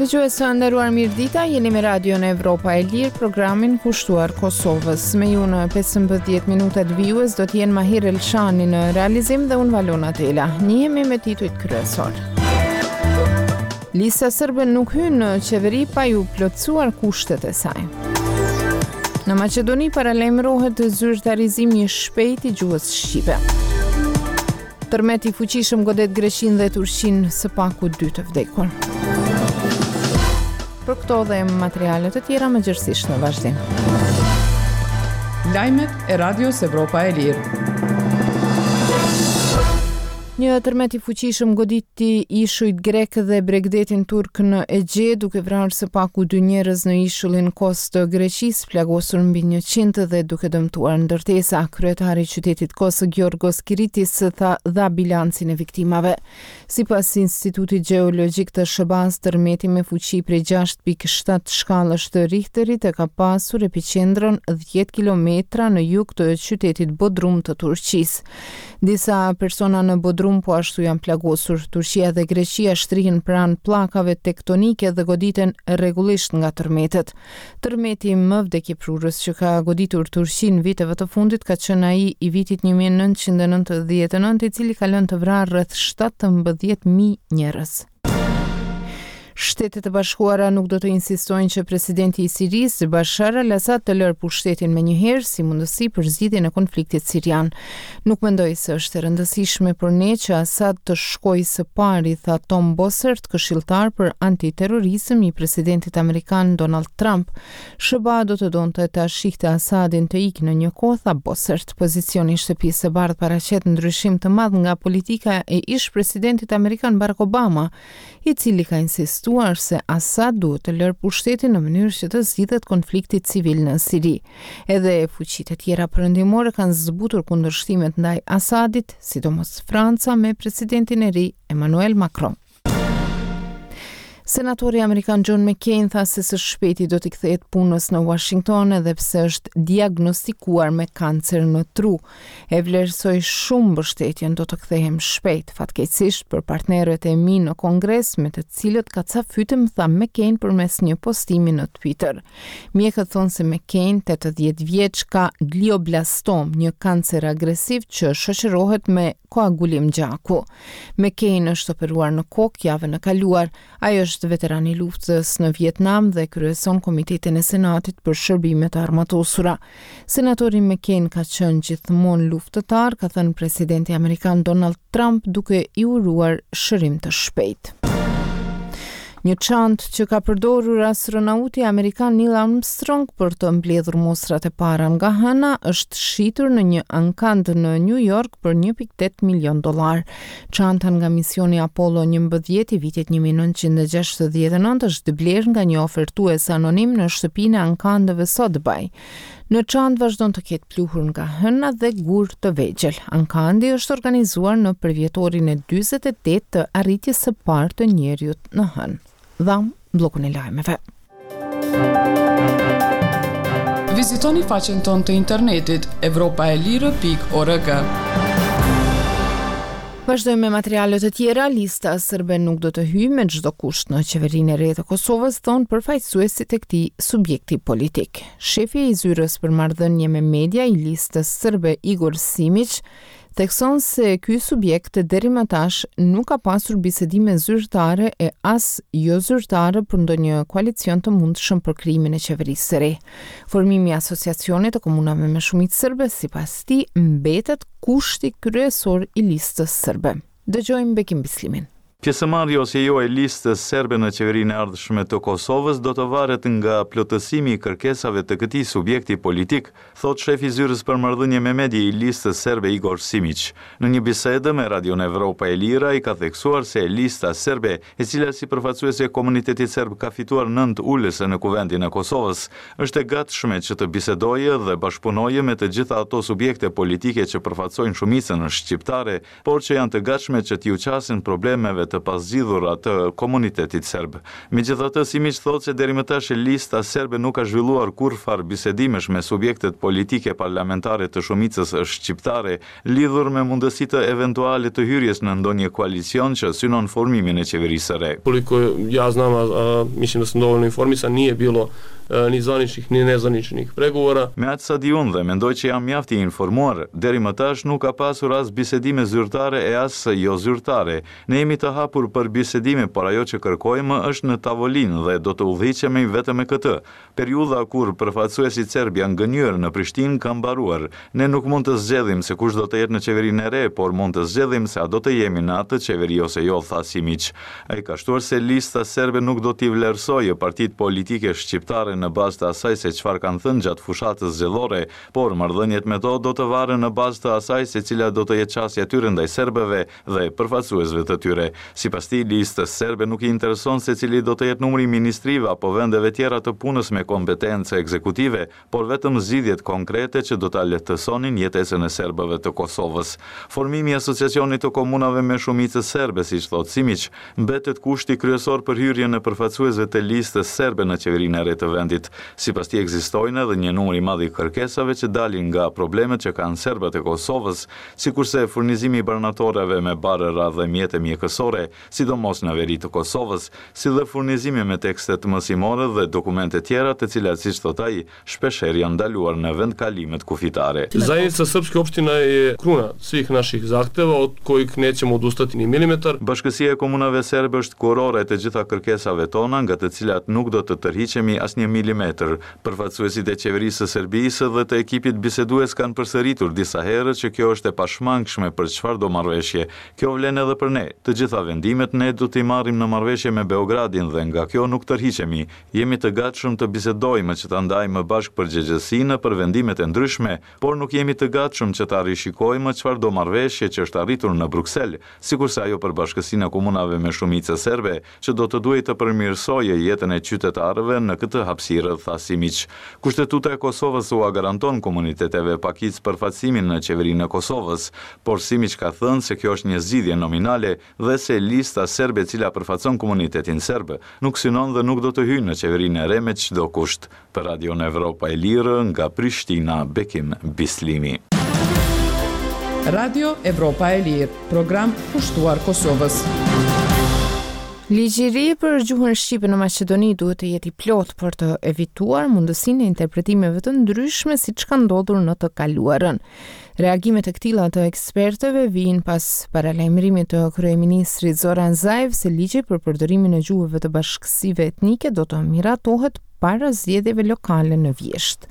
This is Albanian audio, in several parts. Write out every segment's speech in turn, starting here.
Dëgjues të nderuar mirëdita, jeni me Radion Evropa e Lirë, programin kushtuar Kosovës. Me ju në 15 minutat vijues do të jenë Mahir Elshani në realizim dhe unë Valona Tela. Njihemi me titujt kryesorë. Lista Serbe nuk hyn në qeveri pa iu plotësuar kushtet e saj. Në Maqedoni paralajmërohet zyrtarizimi i shpejtë i gjuhës shqipe. Tërmet i fuqishëm godet Greqinë dhe Turqinë së paku dy të vdekur. Për këto dhe materiale të tjera më gjerësisht në vazhdim. Lajmet e Radios Evropa e Lirë. Një tërmet i fuqishëm goditi ishujt grekë dhe bregdetin turk në Egje, duke vrarë së paku dy njerëz në ishullin Kos të Greqisë, plagosur mbi 100 dhe duke dëmtuar ndërtesa. Kryetari i qytetit Kos, Giorgos Kiritis, tha dha bilancin e viktimave. Sipas Institutit Gjeologjik të SHBA-së, tërmeti me fuqi prej 6.7 shkallësh të Richterit e ka pasur epiqendrën 10 kilometra në jug të qytetit Bodrum të Turqisë. Disa persona në Bodrum po ashtu janë plagosur. Turqia dhe Greqia shtrihen pranë pllakave tektonike dhe goditen rregullisht nga tërmetet. Tërmeti më vdekjeprurës që ka goditur Turqinë viteve të fundit ka qenë ai i vitit 1999, i cili ka lënë të vrarë rreth 17.000 njerëz. Shtetet e Bashkuara nuk do të insistojnë që presidenti i Sirisë, Bashar al-Assad, të lërë pushtetin menjëherë si mundësi për zgjidhjen e konfliktit sirian. Nuk mendoj se është e rëndësishme për ne që Assad të shkojë së pari, tha Tom Bossert, këshilltar për antiterrorizëm i presidentit amerikan Donald Trump. SHBA do të donte ta shihte Assadin të ikë në një kohë, tha Bossert. Pozicioni i Shtëpisë së Bardhë paraqet ndryshim të madh nga politika e ish-presidentit amerikan Barack Obama, i cili ka insistuar se Assad duhet të lërë pushtetin në mënyrë që të zgjidhet konflikti civil në Siri. Edhe fuqitë e tjera perëndimore kanë zbutur kundërshtimet ndaj Assadit, sidomos Franca me presidentin e ri Emmanuel Macron. Senatori amerikan John McCain tha se së shpejti do t'i kthehet punës në Washington edhe pse është diagnostikuar me kancer në tru. E vlerësoj shumë mbështetjen, do të kthehem shpejt. Fatkeqësisht për partnerët e mi në Kongres me të cilët kacafytem, tha McCain përmes një postimi në Twitter. Mjekët thonë se McCain, 80 vjeç, ka glioblastom, një kancer agresiv që shoqërohet me koagulim gjaku. McCain është operuar në kokë javën e kaluar. Ai është veteran i luftës në Vietnam dhe kryeson Komitetin e Senatit për Shërbime të Armatosura. Senatori McCain ka qenë gjithmonë luftëtar, ka thënë presidenti amerikan Donald Trump duke i uruar shërim të shpejtë. Një çantë që ka përdorur astronauti amerikan Neil Armstrong për të mbledhur mostrat e para nga Hëna është shitur në një ankand në New York për 1.8 milion dollarë. Çanta nga misioni Apollo 11 i vitit 1969 është blerë nga një ofertues anonim në shtëpinë e ankandeve Sotheby. Në çantë vazhdon të ketë pluhur nga hëna dhe gurë të vegjël. Ankandi është organizuar në përvjetorin e 48 të arritjes së parë të njeriut në hënë. Dhamë bllokun e lajmeve. Vizitoni faqen tonë të internetit evropaelire.org. Vazhdojmë me materiale të tjera, lista serbe nuk do të hyjë me çdo kusht në qeverinë e re të Kosovës, thonë përfaqësuesit e këtij subjekti politik. Shefi i zyrës për marrëdhënie me media i listës serbe Igor Simiq thekson se ky subjekt deri më tash nuk ka pasur bisedime zyrtare e as jozyrtare për ndonjë koalicion të mundshëm për krijimin e qeverisë së re. Formimi i Asociacionit të Komunave me shumicë serbe, sipas tij, mbetet kushti kryesor i Listës Serbe. Dëgjojmë Bekim Bislimin. Pjesëmarrja ose jo e Listës Serbe në qeverinë e ardhshme të Kosovës do të varet nga plotësimi i kërkesave të këtij subjekti politik, thotë shefi i Zyrës për Marrëdhënie me Medie i Listës Serbe Igor Simiq. Në një bisedë me Radion Evropa e Lirë ai ka theksuar se Lista Serbe, e cila si përfaqësuese e komunitetit serb ka fituar nëntë ulëse në Kuvendin e Kosovës, është e gatshme që të bisedojë dhe bashkëpunojë me të gjitha ato subjekte politike që përfaqësojnë shumicën shqiptare, por që janë të gatshme që t'iu qasen problemeve të. të pazgjidhura të komunitetit serb. Megjithatë, Simiq thotë se deri më tash Lista Serbe nuk ka zhvilluar kurrfarë bisedimesh me subjektet politike parlamentare të shumicës shqiptare lidhur me mundësitë eventuale të hyrjes në ndonjë koalicion që synon formimin e qeverisë së re. Koliko ja znam, a mislim da sam dovoljno informisan, nije bilo ni zvaničnih ni nezvaničnih pregovora. Me aq sa di unë dhe mendoj që jam mjaft i informuar, deri më tash nuk ka pasur as bisedime zyrtare e as jozyrtare. Ne jemi të hapur për bisedime, por ajo që kërkojmë është në tavolinë dhe do të udhëhiqemi vetëm me këtë. Periudha kur përfaqësuesit serbë janë gënjyer në Prishtinë ka mbaruar. Ne nuk mund të zgjedhim se kush do të jetë në qeverinë e re, por mund të zgjedhim se a do të jemi në atë qeveri ose jo, tha Simiq. Ai ka shtuar se Lista Serbe nuk do t'i vlerësojë partitë politike shqiptare në bazë të asaj se çfarë kanë thënë gjatë fushatës zgjedhore, por marrëdhëniet me to do të varen në bazë të asaj se cila do të jetë qasja e tyre ndaj serbëve dhe përfaqësuesve të tyre. Sipas tij, Listës Serbe nuk i intereson se cili do të jetë numri i ministrive apo vendeve tjera të punës me kompetencë ekzekutive, por vetëm zgjidhjet konkrete që do ta lehtësonin jetesën e serbëve të Kosovës. Formimi i Asociacionit të Komunave me shumicë serbe, siç thotë Simiq, mbetet kushti kryesor për hyrjen e përfaqësuesve të Listës Serbe në qeverinë e re të vendit. Sipas tij, ekzistojnë edhe një numër i madh i kërkesave që dalin nga problemet që kanë serbët e Kosovës, sikurse furnizimi i barnatoreve me barëra dhe mjete mjekësore, sidomos në veri të Kosovës, si dhe furnizimi me tekstet mësimore dhe dokumente tjera të cilat, siç thotë ai, shpeshherë janë ndaluar në vendkalimet kufitare. Zajednica srpskih opština je kruna svih naših zahteva od kojih nećemo odustati ni milimetar. Bashkësia e Komunave Serbe është kurora e të gjitha kërkesave tona, nga të cilat nuk do të tërhiqemi asnjë milimetër, Përfaqësuesit e Qeverisë së Serbisë dhe të ekipit bisedues kanë përsëritur disa herë që kjo është e pashmangshme për çfarëdo marrëveshje. Kjo vlen edhe për ne. Të gjitha vendimet ne do t'i marrim në marrëveshje me Beogradin dhe nga kjo nuk tërhiqemi. Jemi të gatshëm të bisedojmë që ta ndajmë bashkë përgjegjësinë për vendimet e ndryshme, por nuk jemi të gatshëm që ta rishikojmë çfarëdo marrëveshje që është arritur në Bruksel, sikurse ajo për Bashkësinë e Komunave me shumicë serbe, që do të duhej të përmirësojë jetën e qytetarëve në këtë hapësirë, tha Simiq. Kushtetuta e Kosovës ua garanton komuniteteve pakicë përfaqësimin në Qeverinë e Kosovës, por Simiq ka thënë se kjo është një zgjidhje nominale dhe se Lista Serbe e cila përfaqëson komunitetin serb, nuk synon dhe nuk do të hyjë në Qeverinë e re me çdo kusht. Për Radion Evropa e Lirë, nga Prishtina, Bekim Bislimi. Radio Evropa e Lirë, program kushtuar Kosovës. Ligji i ri për gjuhën shqipe në Maqedoni duhet të jetë i plotë për të evituar mundësinë e interpretimeve të ndryshme siç ka ndodhur në të kaluarën. Reagimet e këtilla të ekspertëve vijnë pas paralajmërimit të kryeministrit Zoran Zaev se ligji për përdorimin e gjuhëve të bashkësive etnike do të miratohet para zgjedhjeve lokale në vjeshtë.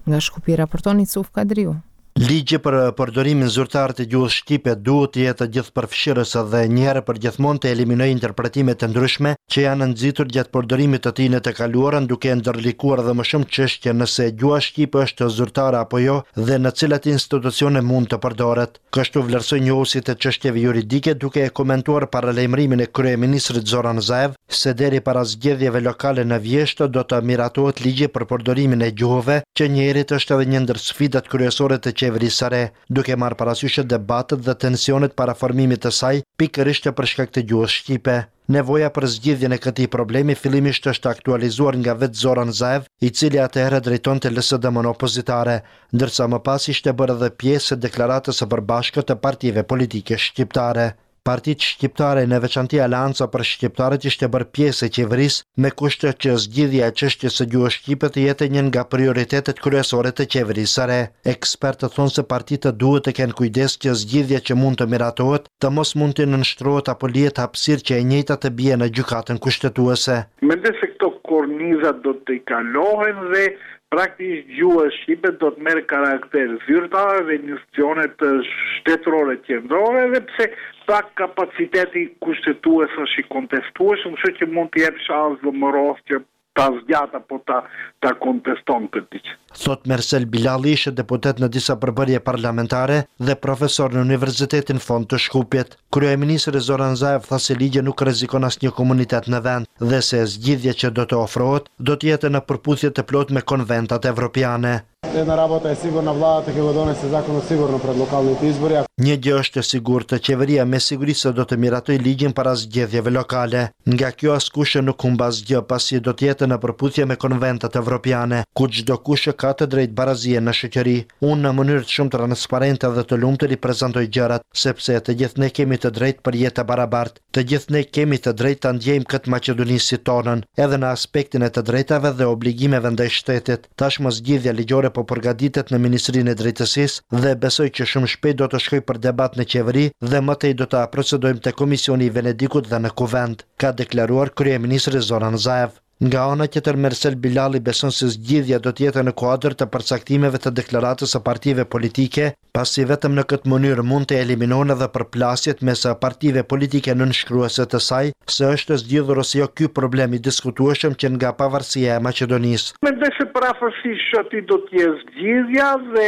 Nga Shkupi raporton Isuf Kadriu. Ligji për përdorimin zyrtar të gjuhës shqipe duhet të jetë gjithëpërfshirës dhe njëherë e përgjithmonë të eliminojë interpretimet e ndryshme që janë nxitur gjatë përdorimit të tij në të kaluarën duke e ndërlikuar edhe më shumë çështjen nëse gjuha shqipe është zyrtare apo jo dhe në cilat institucione mund të përdoret. Kështu vlerësojnë njohësit e çështjeve juridike duke e komentuar paralajmërimin e kryeministrit Zoran Zaev se deri para zgjedhjeve lokale në vjeshtë do të miratohet ligji për përdorimin e gjuhëve, që njëherit është edhe një ndër sfidat kryesore të qeverisë së re, duke marrë parasysh debatet dhe tensionet para formimit të saj, pikërisht për shkak të gjuhës shqipe. Nevoja për zgjidhjen e këtij problemi fillimisht është aktualizuar nga vetë Zoran Zaev, i cili atëherë drejtonte LSDM-në opozitare, ndërsa më pas ishte bërë edhe pjesë e deklaratës së përbashkët të partive politike shqiptare. Partitë shqiptare, në veçanti Aleanca për Shqiptarët ishte bërë pjesë e qeverisë, me kusht që zgjidhja e çështjes së gjuhës shqipe të jetë një nga prioritetet kryesore të qeverisë së re. Ekspertët thonë se partitë duhet të kenë kujdes që zgjidhja që mund të miratohet të mos mund t'i nënshtrohet apo lihet hapësirë që e njëjta të bie në Gjykatën Kushtetuese. Mendoj se këto korniza do të tejkalohen dhe praktikisht gjuha shqipe do të merr karakter zyrtar dhe në institucionet shtetërore qendrore edhe pse pak kapaciteti kushtetues është i kontestueshëm, kështu që mund t'i jep shans VMRO-së që ta zgjatë apo ta ta konteston këtë ligj. Thotë Mersel Bilalli, ish deputet në disa përbërje parlamentare dhe profesor në Universitetin FON të Shkupit. Kryeministri Zoran Zaev tha se ligji nuk rrezikon asnjë komunitet në vend dhe se zgjidhja që do të ofrohet do të jetë në përputhje të plotë me konventat evropiane. Една работа е сигурна, владата ќе го донесе законот сигурно пред локалните избори. Një gjë është e sigurt, qeveria me siguri se do të miratojë ligjin para zgjedhjeve lokale. Nga kjo askush nuk humb asgjë, pasi do të jetë në përputhje me konventat evropiane, ku çdokush ka të drejtë barazie në shoqëri. Unë në mënyrë shumë transparente dhe të lumtur i prezantoj gjërat, sepse të gjithë ne kemi të drejtë për jetë të barabartë. Të gjithë ne kemi të drejtë ta ndjejmë këtë Maqedoni si tonën, edhe në aspektin e të drejtave dhe obligimeve ndaj shtetit. Tashmë zgjidhja ligjore po përgatitet në Ministrinë e Drejtësisë dhe besoj që shumë shpejt do të shkojë për debat në qeveri dhe më tej do ta procedojmë te Komisioni i Venedikut dhe në Kuvend, ka deklaruar kryeministri Zoran Zaev. Nga ana tjetër Mersel Bilalli beson se zgjidhja do të jetë në kuadër të përcaktimeve të deklaratës së partive politike, pasi vetëm në këtë mënyrë mund të eliminohen edhe përplasjet mes partive politike nënshkruese të saj, se është zgjidhur ose jo ky problem i diskutueshëm që nga pavarësia e Maqedonisë. Mendoj se përafërsisht aty do të jetë zgjidhja dhe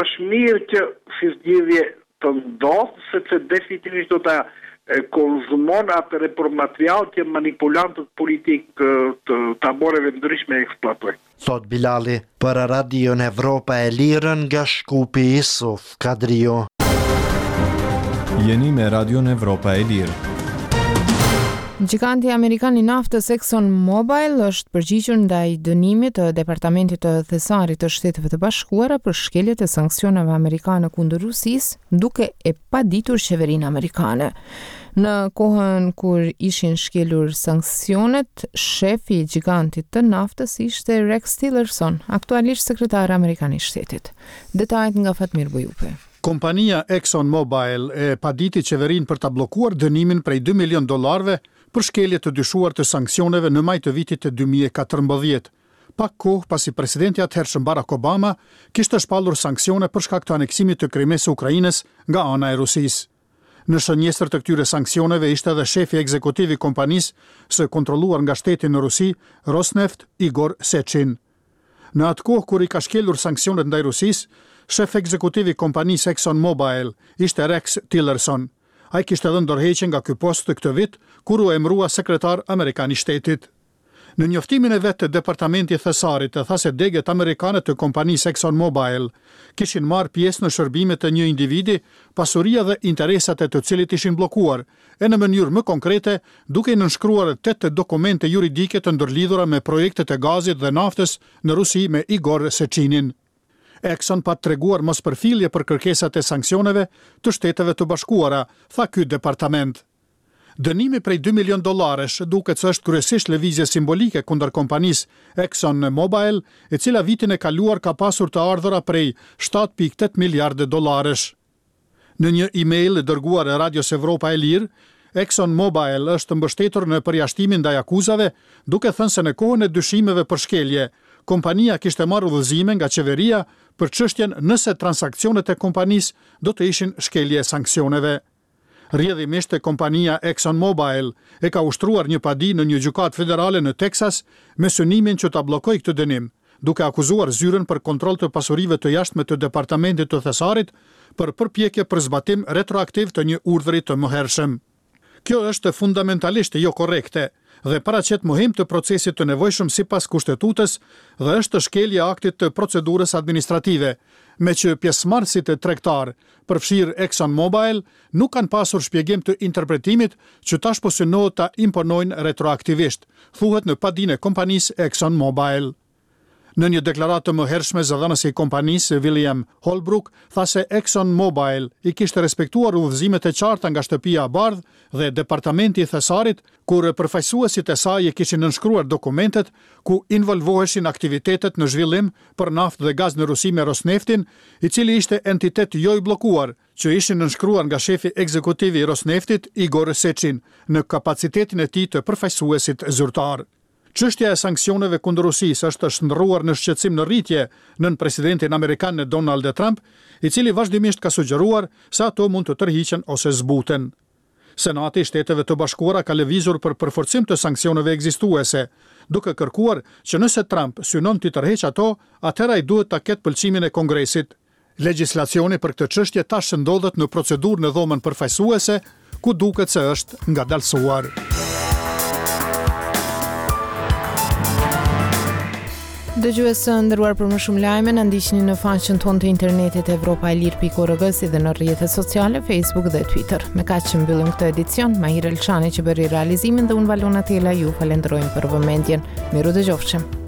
është mirë që si zgjidhje të ndodhë, sepse definitivisht do ta konzumon atë repro-material që manipulantët politikë të taboreve të ndryshme eksploatojnë. Thotë Bilalli, për Radion Evropa e Lirë nga Shkupi, Isuf Kadriu. Jeni me Radion Evropa e Lirë. Gjiganti amerikan i naftës Exxon Mobil është përgjigjur ndaj dënimit të Departamentit të Thesarit të Shteteve të Bashkuara për shkeljet e sanksioneve amerikane kundër Rusisë, duke e paditur qeverinë amerikane. Në kohën kur ishin shkelur sanksionet, shefi i gjigantit të naftës ishte Rex Tillerson, aktualisht sekretar amerikan i shtetit. Detajet nga Fatmir Bujupi. Kompania Exxon Mobil e paditi qeverinë për ta bllokuar dënimin prej dy milionë dollarëve për shkelje të dyshuar të sanksioneve në maj të vitit 2014, pak kohë pasi presidenti i atëhershëm Barack Obama kishte shpallur sanksione për shkak të aneksimit të Krimesë së Ukrainës nga ana e Rusisë. Në shënjestër të këtyre sanksioneve ishte edhe shefi ekzekutiv i kompanisë së kontrolluar nga shteti në Rusi, Rosneft, Igor Sechin. Në atë kohë kur i ka shkelur sanksionet ndaj Rusisë, shef ekzekutiv i kompanisë Exxon Mobil ishte Rex Tillerson. Ai kishte dhënë dorëheqje nga ky post këtë vit, kur u emërua sekretar amerikan i shtetit. Në njoftimin e vet Departamenti i Thesarit tha se degët amerikane të kompanisë Exxon Mobil kishin marrë pjesë në shërbimet e një individi, pasuria dhe interesat e të cilit ishin bllokuar, e në mënyrë më konkrete duke i nënshkruar tetë dokumente juridike të ndërlidhura me projektet e gazit dhe naftës në Rusi me Igor Secinin. Exxon pat treguar mospërfillje për kërkesat e sanksioneve të Shteteve të Bashkuara, tha ky departament. Dënimi prej dy milionë dollarësh duket se është kryesisht lëvizje simbolike kundër kompanisë Exxon Mobil, e cila vitin e kaluar ka pasur të ardhura prej 7.8 miliardë dollarësh. Në një email dërguar Radios Evropa e Lirë, Exxon Mobil është mbështetur në përjashtimin ndaj akuzave, duke thënë se në kohën e dyshimeve për shkelje, kompania kishte marrë udhëzime nga qeveria për çështjen nëse transaksionet e kompanisë do të ishin shkelje e sanksioneve. Rrjedhimisht, kompania Exxon Mobil e ka ushtruar një padi në një gjykatë federale në Teksas me synimin që ta bllokojë këtë dënim, duke akuzuar Zyrën për Kontroll të Pasurive të Jashtme të Departamentit të Thesarit për përpjekje për zbatim retroaktiv të një urdhri të mëhershëm. Kjo është fundamentalisht jokorrekte dhe paraqet mohim të procesit të nevojshëm sipas Kushtetutës dhe është shkelje e aktit të procedurës administrative, meqë pjesëmarrësit tregtarë, përfshirë Exxon Mobil, nuk kanë pasur shpjegim të interpretimit që tash po synohet ta imponojnë retroaktivisht, thuhet në padinë e kompanisë Exxon Mobil. Në një deklaratë të mëhershme, zëdhënësi i kompanisë, William Holbrook, tha se Exxon Mobil i kishte respektuar udhëzimet e qarta nga Shtëpia e Bardhë dhe Departamenti i Thesarit kur përfaqësuesit e saj i kishin nënshkruar dokumentet ku involvoheshin aktivitetet në zhvillim për naftë dhe gaz në Rusi me Rosneftin, i cili ishte entitet jo i bllokuar, që ishin nënshkruar nga shefi ekzekutiv i Rosneftit, Igor Sechin, në kapacitetin e tij të përfaqësuesit zyrtar. Çështja e sanksioneve kundër Rusisë është shndërruar në shqetësim në rritje nën presidentin amerikan Donald Trump, i cili vazhdimisht ka sugjeruar se ato mund të tërhiqen ose zbuten. Senati i Shteteve të Bashkuara ka lëvizur për përforcim të sanksioneve ekzistuese, duke kërkuar që nëse Trump synon t'i tërheqë ato, atëherë ai duhet ta ketë pëlqimin e Kongresit. Legjislacioni për këtë çështje tash ndodhet në procedurë në Dhomën Përfaqësuese, ku duket se është ngadalësuar. Dëgjues të nderuar për më shumë lajme na ndiqni në faqen tonë të internetit evropaelire.org si dhe në rrjetet sociale Facebook dhe Twitter. Me kaq që mbyllim këtë edicion, Mahir Elshani që bëri realizimin dhe unë Valona Tela ju falenderojmë për vëmendjen. Mirudëgjofshim.